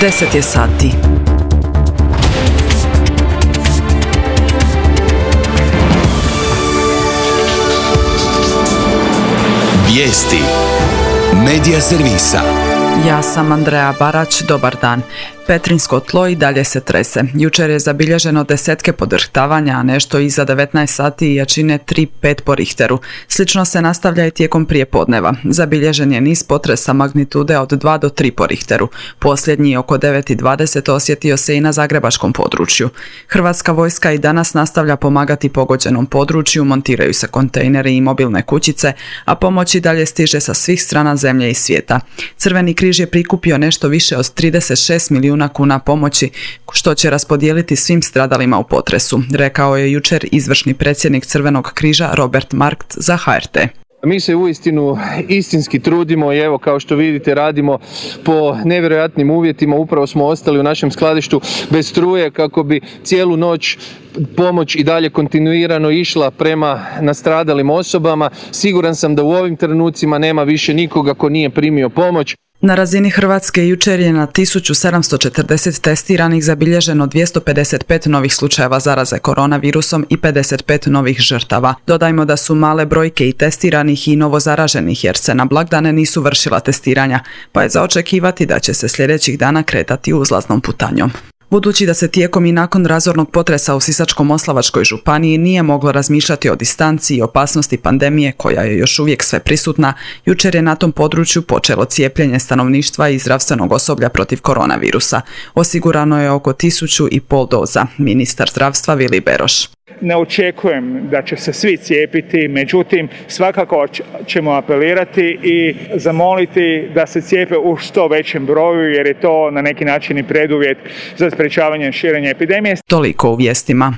10 je sati. Vijesti Medija servisa. Ja sam Andreja Barać, dobar dan. Petrinjsko tlo i dalje se trese. Jučer je zabilježeno desetke podrhtavanja, a nešto iza 19 sati i jačine 3,5 po Richteru. Slično se nastavlja i tijekom prijepodneva. Zabilježen je niz potresa magnitude od 2 do 3 po Richteru. Posljednji oko 9,20 osjetio se i na zagrebačkom području. Hrvatska vojska i danas nastavlja pomagati pogođenom području, montiraju se kontejneri i mobilne kućice, a pomoć i dalje stiže sa svih strana zemlje i svijeta. Crveni križ je prikupio nešto više od 36 milijuna kuna pomoći, što će raspodijeliti svim stradalima u potresu, rekao je jučer izvršni predsjednik Crvenog križa Robert Markt za HRT. Mi se uistinu istinski trudimo i evo kao što vidite radimo po nevjerojatnim uvjetima. Upravo smo ostali u našem skladištu bez struje kako bi cijelu noć pomoć i dalje kontinuirano išla prema nastradalim osobama. Siguran sam da u ovim trenucima nema više nikoga ko nije primio pomoć. Na razini Hrvatske jučer je na 1740 testiranih zabilježeno 255 novih slučajeva zaraze koronavirusom i 55 novih žrtava. Dodajmo da su male brojke i testiranih i novozaraženih jer se na blagdane nisu vršila testiranja, pa je za očekivati da će se sljedećih dana kretati uzlaznom putanjom. Budući da se tijekom i nakon razornog potresa u Sisačko-moslavačkoj županiji nije moglo razmišljati o distanci i opasnosti pandemije koja je još uvijek sve prisutna, jučer je na tom području počelo cijepljenje stanovništva i zdravstvenog osoblja protiv koronavirusa. Osigurano je oko 1.500 doza, ministar zdravstva Vili Beroš. Ne očekujem da će se svi cijepiti, međutim svakako ćemo apelirati i zamoliti da se cijepe u što većem broju jer je to na neki način i preduvjet za sprječavanje širenja epidemije. Toliko u vijestima.